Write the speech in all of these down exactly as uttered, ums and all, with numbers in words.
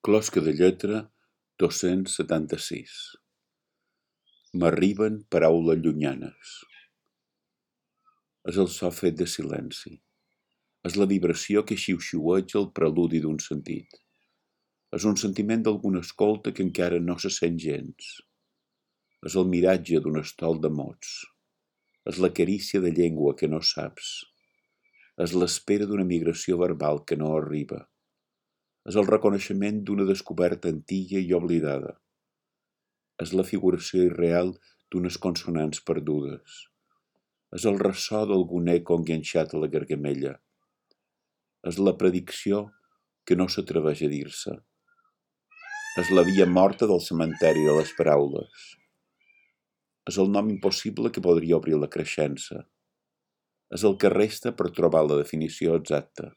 Closca de lletra dos-cents setanta-sis. M'arriben paraules llunyanes. És el so fet de silenci. És la vibració que xiuxiueja el preludi d'un sentit. És un sentiment d'alguna escolta que encara no se sent gens. És el miratge d'un estol de mots. És la carícia de llengua que no saps. És l'espera d'una migració verbal que no arriba. És el reconeixement d'una descoberta antiga i oblidada. És la figuració irreal d'unes consonants perdudes. És el ressò d'algun eco enganxat a la gargamella. És la predicció que no s'atreveix a dir-se. És la via morta del cementeri de les paraules. És el nom impossible que podria obrir la creixença. És el que resta per trobar la definició exacta.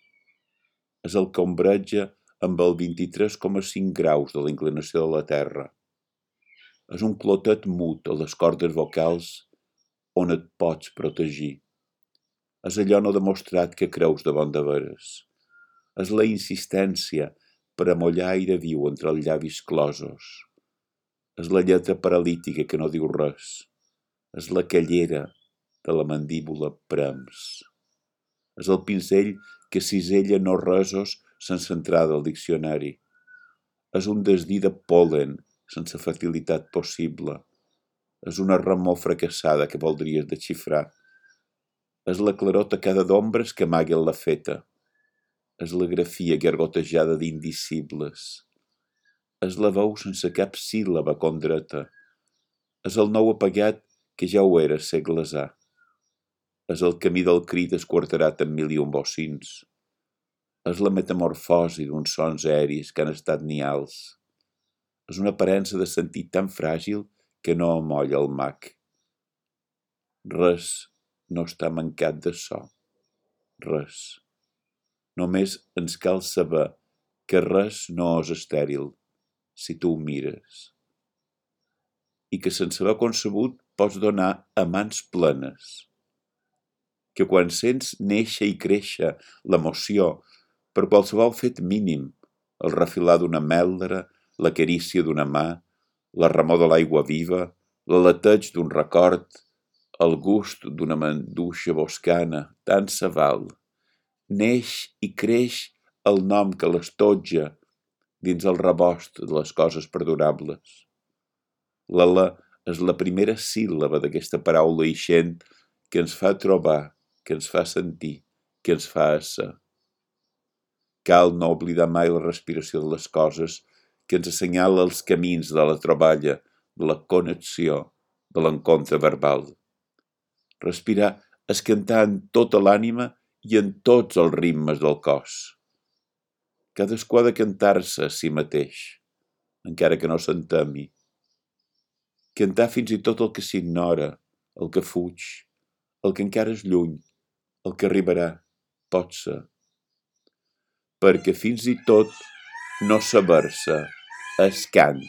És el que ombreja amb el vint-i-tres coma cinc graus de la inclinació de la Terra. És un clotet mut a les cordes vocals on et pots protegir. És allò no demostrat que creus de bon de veres. És la insistència per amollar aire viu entre els llavis closos. És la lletra paralítica que no diu res. És la callera de la mandíbula prems. És el pinzell que cisella no resos sense entrada al diccionari. És un desdí de pol·len sense fertilitat possible. És una remor fracassada que voldries desxifrar. És la claror tacada d'ombres que amaguen la feta. És la grafia gargotejada d'indicibles. És la veu sense cap síl·laba condreta. És el nou apagat que ja ho era segles ha. És el camí del crit esquarterat en mil i un bocins. És la metamorfosi d'uns sons aeris que han estat nials. És una aparença de sentit tan fràgil que no amolla el mag. Res no està mancat de so. Res. Només ens cal saber que res no és estèril, si tu ho mires. I que sense haver concebut pots donar a mans plenes. Que quan sents néixer i créixer l'emoció per qualsevol fet mínim, el refilar d'una meldra, la carícia d'una mà, la remor de l'aigua viva, l'aleteig d'un record, el gust d'una manduixa boscana, tant se val. Neix i creix el nom que l'estotja dins el rebost de les coses perdurables. L'ala és la primera síl·laba d'aquesta paraula ixent que ens fa trobar, que ens fa sentir, que ens fa ésser. Cal no oblidar mai la respiració de les coses que ens assenyala els camins de la troballa, de la connexió, de l'encontre verbal. Respirar és cantar en tota l'ànima i en tots els ritmes del cos. Cadascú ha de cantar-se a si mateix, encara que no s'entemi. Cantar fins i tot el que s'ignora, el que fuig, el que encara és lluny, el que arribarà, pot ser. Perquè fins i tot no saber-se és cant.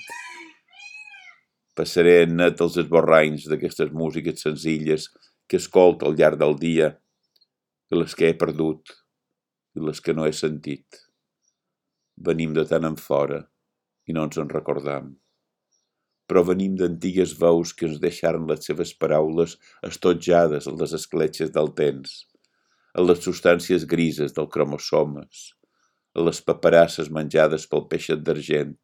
Passaré en net els esborranys d'aquestes músiques senzilles que escolto al llarg del dia, de les que he perdut i les que no he sentit. Venim de tant en fora i no ens en recordam. Però venim d'antigues veus que ens deixaren les seves paraules estotjades a les escletxes del temps, a les substàncies grises del cromosomes, a les paperasses menjades pel peixet d'argent,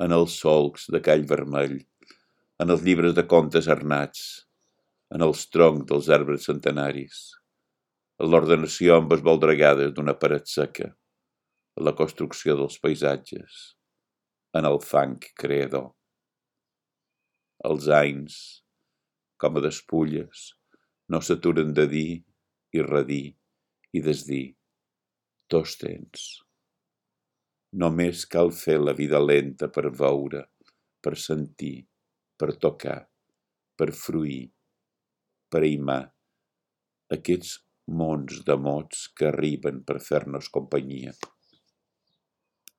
en els solcs de call vermell, en els llibres de contes arnats, en els troncs dels arbres centenaris, en l'ordenació amb esvoldregades d'una paret seca, en la construcció dels paisatges, en el fang creador. Els anys, com a despulles, no s'aturen de dir i redir i desdir. Tots tens. Només cal fer la vida lenta per veure, per sentir, per tocar, per fruir, per aimar aquests mons de mots que arriben per fer-nos companyia.